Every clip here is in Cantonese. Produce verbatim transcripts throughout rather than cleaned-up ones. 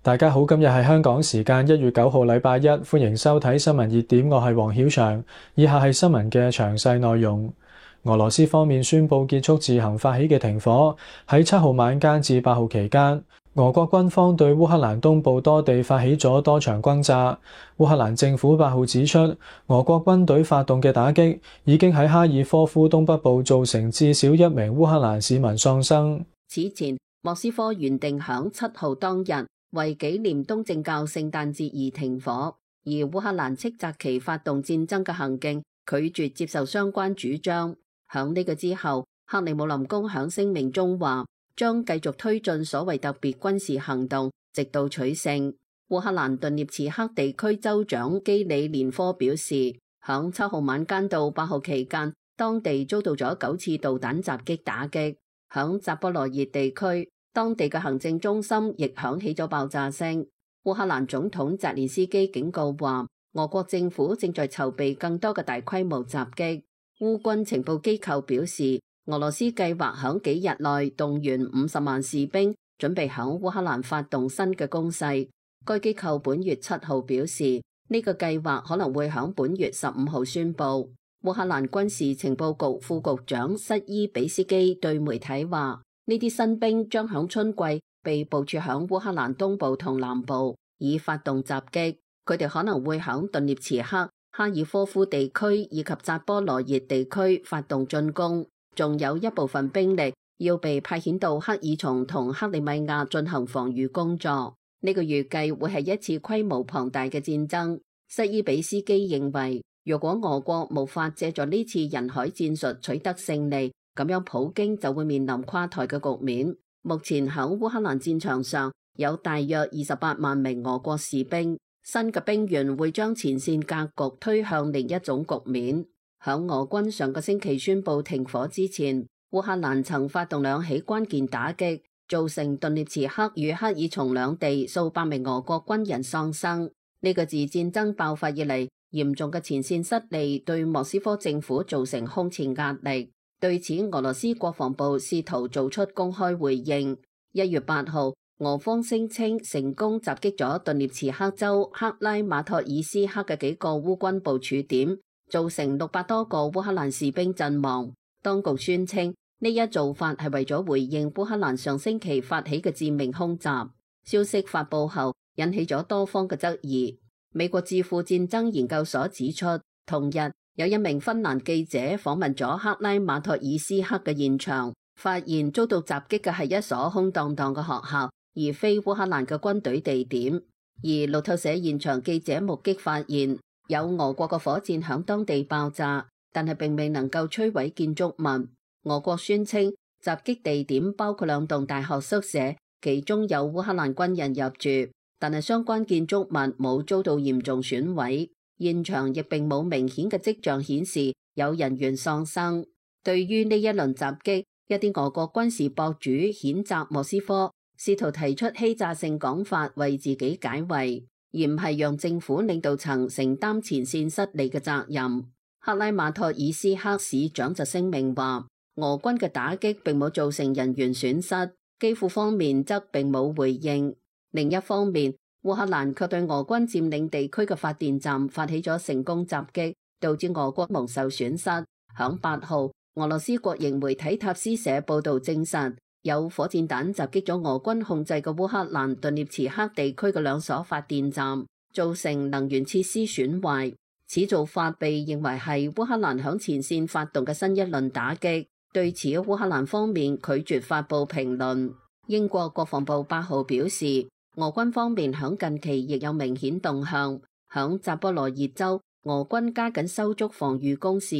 大家好，今日係香港時間一月九號禮拜一，歡迎收睇新聞熱點，我係黃曉翔。以下係新聞嘅詳細內容。俄羅斯方面宣布結束自行發起嘅停火，喺七號晚間至八號期間，俄國軍方對烏克蘭東部多地發起咗多場轟炸。烏克蘭政府八號指出，俄國軍隊發動嘅打擊已經喺哈爾科夫東北部造成至少一名烏克蘭市民喪生。此前，莫斯科原定響七號當日為紀念東正教聖誕節而停火，而烏克蘭斥責其發動戰爭嘅行徑，拒絕接受相關主張。響呢個之後，克里姆林宮響聲明中話，將繼續推進所謂特別軍事行動，直到取勝。烏克蘭頓涅茨克地區州長基里連科表示，響七號晚間到八號期間，當地遭到咗九次導彈襲擊打擊。響扎波羅熱地區，當地嘅行政中心亦響起咗爆炸聲。烏克蘭總統澤連斯基警告話，俄國政府正在籌備更多嘅大規模襲擊。烏軍情報機構表示，俄羅斯計劃響幾日內動員五十萬士兵，準備響烏克蘭發動新嘅攻勢。該機構本月七號表示，呢個計劃可能會響本月十五號宣布。烏克蘭軍事情報局副局長瑟伊比斯基對媒體話，呢啲新兵將響春季被部署響烏克蘭東部同南部，以發動襲擊。佢哋可能會響頓涅茨克、哈爾科夫地區以及扎波羅熱地區發動進攻，仲有一部分兵力要被派遣到克爾松同克里米亞進行防禦工作。呢個預計會係一次規模龐大嘅戰爭。瑟伊比斯基認為，如果俄國無法借助呢次人海戰術取得勝利，咁樣普京就會面臨垮台嘅局面。目前喺烏克蘭戰場上有大約二十八萬名俄國士兵，新嘅兵員會將前線格局推向另一種局面。響俄軍上個星期宣布停火之前，烏克蘭曾發動兩起關鍵打擊，造成頓涅茨克與克爾松兩地數百名俄國軍人喪生。呢個自戰爭爆發以嚟嚴重嘅前線失利，對莫斯科政府造成空前壓力。對此，俄羅斯國防部試圖做出公開回應。一月八號，俄方聲稱成功襲擊咗頓涅茨克州克拉馬托爾斯克嘅幾個烏軍部署點，造成六百多個烏克蘭士兵陣亡。當局宣稱呢一做法係為咗回應烏克蘭上星期發起嘅致命空襲。消息發佈後，引起咗多方嘅質疑。美國智庫戰爭研究所指出，同日有一名芬蘭記者訪問咗克拉馬托爾斯克嘅現場，發現遭到襲擊嘅係一所空蕩蕩嘅學校，而非烏克蘭嘅軍隊地點。而路透社現場記者目擊發現，有俄國嘅火箭響當地爆炸，但係並未能夠摧毀建築物。俄國宣稱襲擊地點包括兩棟大學宿舍，其中有烏克蘭軍人入住，但係相關建築物冇遭到嚴重損毀，現場亦並冇明顯嘅跡象顯示有人員喪生。對於呢一輪襲擊，一啲俄國軍事博主譴責莫斯科，試圖提出欺詐性講法為自己解圍，而唔係讓政府領導層承擔前線失利嘅責任。克拉馬托爾斯克市長就聲明話，俄軍嘅打擊並冇造成人員損失，基輔方面則並冇回應。另一方面，烏克蘭卻對俄軍佔領地區嘅發電站發起咗成功襲擊，導致俄國蒙受損失。響八號，俄羅斯國營媒體塔斯社報道證實，有火箭彈襲擊咗俄軍控制嘅烏克蘭頓涅茨克地區嘅兩所發電站，造成能源設施損壞。此做法被認為係烏克蘭響前線發動嘅新一輪打擊。對此，烏克蘭方面拒絕發布評論。英國國防部八號表示，俄軍方面響近期亦有明顯動向，響扎波羅熱州，俄軍加緊修築防禦工事，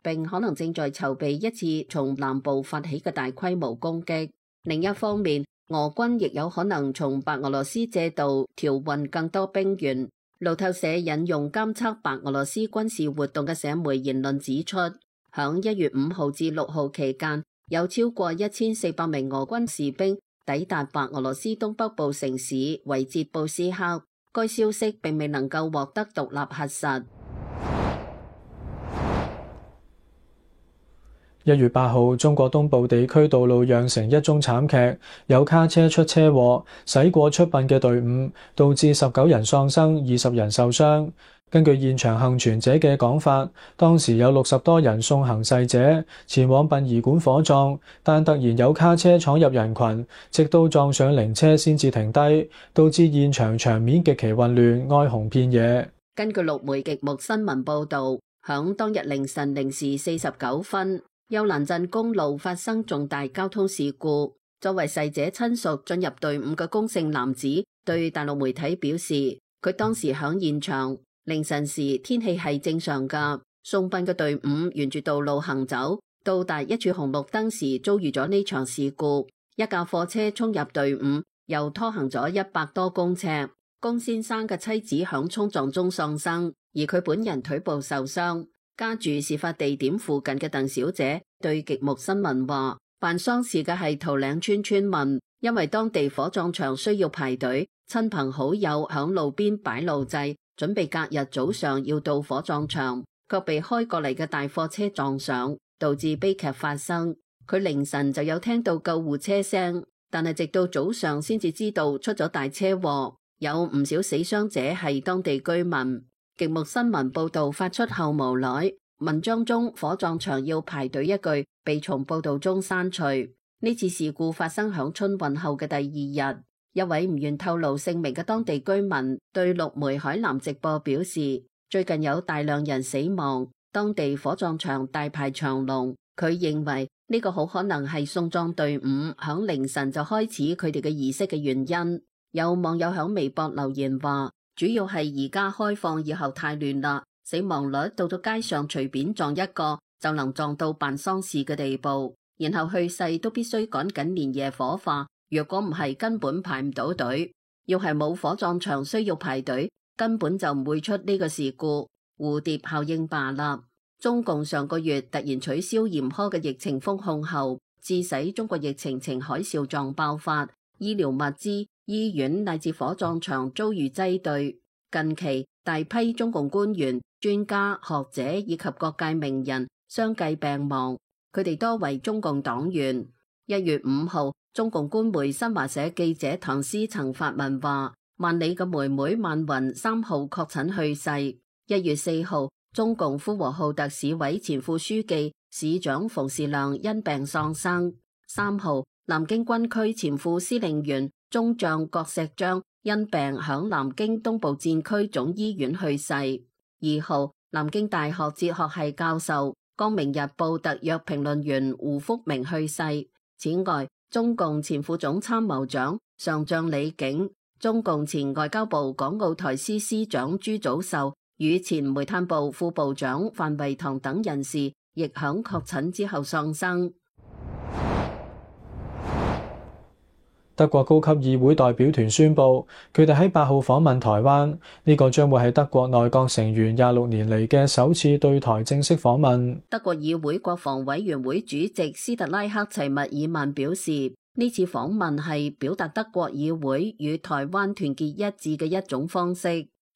並可能正在籌備一次從南部發起嘅大規模攻擊。另一方面，俄軍亦有可能從白俄羅斯借道調運更多兵員。路透社引用監測白俄羅斯軍事活動嘅社媒言論指出，響一月五號至六號期間，有超過一千四百名俄軍士兵抵達白俄羅斯東北部城市維捷布斯克。該消息並未能夠獲得獨立核實。一月八號，中國東部地區道路釀成一宗慘劇，有卡車出車禍，駛過出殯嘅隊伍，導致十九人喪生，二十人受傷。根據現場幸存者嘅講法，當時有六十多人送行逝者前往殯儀館火葬，但突然有卡車闖入人群，直到撞上靈車先至停低，導致現場場面極其混亂，哀鴻遍野。根據陸媒極目新聞報導，響當日凌晨零時四十九分，丘蘭鎮公路發生重大交通事故。作為逝者親屬進入隊伍嘅龔姓男子對大陸媒體表示，佢當時響現場。凌晨時天氣係正常㗎，送殯嘅隊伍沿住道路行走，到達一處紅綠燈時遭遇咗呢場事故，一架貨車衝入隊伍，又拖行咗一百多公尺。龔先生嘅妻子響衝撞中喪生，而佢本人腿部受傷。家住事發地點附近嘅鄧小姐對極目新聞話，辦喪事嘅係桃嶺村村民，因為當地火葬場需要排隊，親朋好友響路邊擺路祭，準備隔日早上要到火葬場，卻被開過嚟嘅大貨車撞上，導致悲劇發生。佢凌晨就有聽到救護車聲，但係直到早上先至知道出咗大車禍，有唔少死傷者係當地居民。極目新聞報道發出後無奈，文章中火葬場要排隊一句被從報道中刪除。呢次事故發生響春運後嘅第二日。一位唔願透露姓名嘅當地居民對陸媒海南直播表示，最近有大量人死亡，當地火葬場大排長龍。佢認為呢個好可能係送葬隊伍響凌晨就開始佢哋嘅儀式嘅原因。有網友響微博留言話，主要係而家開放以後太亂啦，死亡率到咗街上隨便撞一個就能撞到辦喪事嘅地步，然後去世都必須趕緊連夜火化。若果唔係，根本排唔到隊。要係冇火葬場需要排隊，根本就唔會出呢個事故。蝴蝶效應罷啦。中共上個月突然取消嚴苛嘅疫情封控後，致使中國疫情呈海嘯狀爆發，醫療物資、醫院乃至火葬場遭遇擠兌。近期大批中共官員、專家、學者以及各界名人相繼病亡，佢哋多為中共黨員。一月五號，中共官媒新華社記者唐詩曾發文話，萬里嘅妹妹萬雲三號確診去世。一月四號，中共呼和浩特市委前副書記、市長馮士亮因病喪生。三號，南京軍區前副司令員中將郭錫章因病響南京東部戰區總醫院去世。二號，南京大學哲學系教授、光明日報特約評論員胡福明去世。此外，中共前副總參謀長上將李景、中共前外交部港澳台司司長朱祖秀與前煤炭部副部長范維堂等人士，亦響確診之後喪生。德國高級議會代表團宣布，佢哋喺八號訪問台灣，呢個將會係德國內閣成員廿六年嚟嘅首次對台正式訪問。德國議會國防委員會主席斯特拉克齊密爾曼表示，呢次訪問係表達德國議會與台灣團結一致嘅一種方式。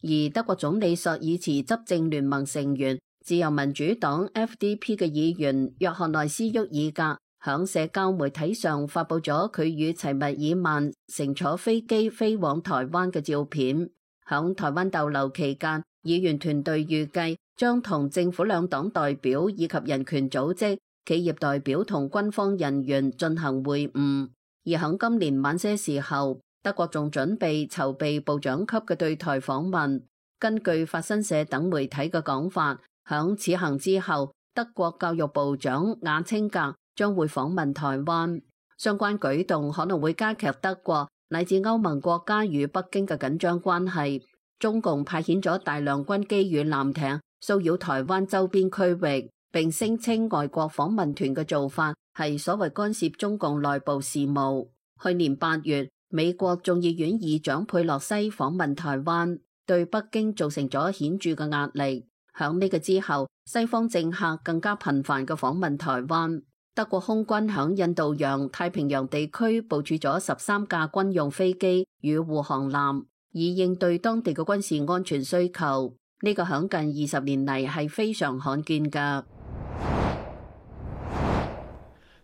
而德國總理朔爾茨執政聯盟成員、自由民主黨 F D P 嘅議員約翰內斯沃爾格響社交媒體上發佈咗佢與齊密爾曼乘坐飛機飛往台灣嘅照片。響台灣逗留期間，議員團隊預計將同政府兩黨代表以及人權組織、企業代表同軍方人員進行會晤。而響今年晚些時候，德國仲準備籌備部長級嘅對台訪問。根據法新社等媒體嘅講法，響此行之後，德國教育部長雅青格將會訪問台灣。相關舉動可能會加劇德國乃至歐盟國家與北京嘅緊張關係。中共派遣咗大量軍機與艦艇騷擾台灣周邊區域，並聲稱外國訪問團嘅做法係所謂干涉中共內部事務。去年八月，美國眾議院議長佩洛西訪問台灣，對北京造成咗顯著嘅壓力。響呢個之後，西方政客更加頻繁嘅訪問台灣。德國空軍響印度洋太平洋地區部署咗十三架軍用飛機與護航艦，以應對當地嘅軍事安全需求。呢個響近二十年嚟係非常罕見㗎。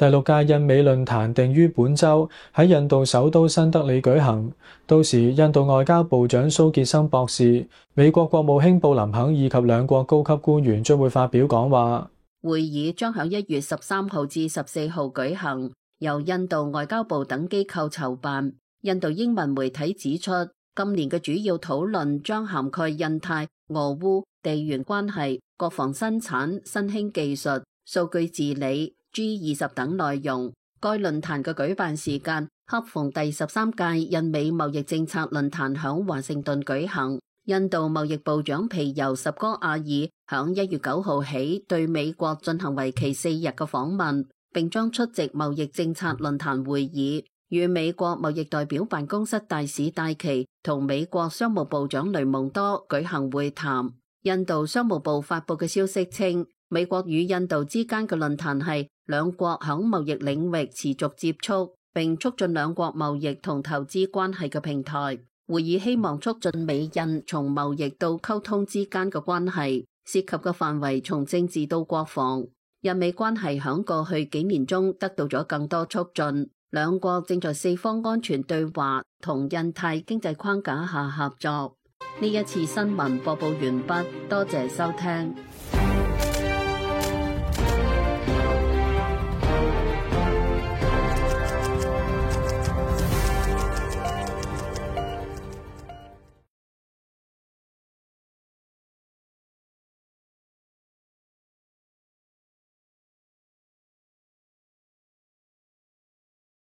第六屆印美論壇定於本週喺印度首都新德里舉行，到時印度外交部長蘇傑森博士、美國國務卿布林肯以及兩國高級官員將會發表講話。會議將喺一月十三號至十四號舉行，由印度外交部等機構籌辦。印度英文媒體指出，今年嘅主要討論將涵蓋印太、俄烏、地緣關係、國防生產、新興技術、數據治理、G 二十等內容。該論壇嘅舉辦時間恰逢第十三屆印美貿易政策論壇響華盛頓舉行。印度貿易部長皮尤什戈亞爾響一月九號起對美國進行為期四日嘅訪問，並將出席貿易政策論壇會議，與美國貿易代表辦公室大使戴琪同美國商務部長雷蒙多舉行會談。印度商務部發佈嘅消息稱，美國與印度之間嘅論壇係兩國響貿易領域持續接觸，並促進兩國貿易同投資關係嘅平台。會議希望促進美印從貿易到溝通之間嘅關係，涉及嘅範圍從政治到國防。印美關係響過去幾年中得到咗更多促進，兩國正在四方安全對話同印太經濟框架下合作。呢一次新聞播報完畢，多謝收聽。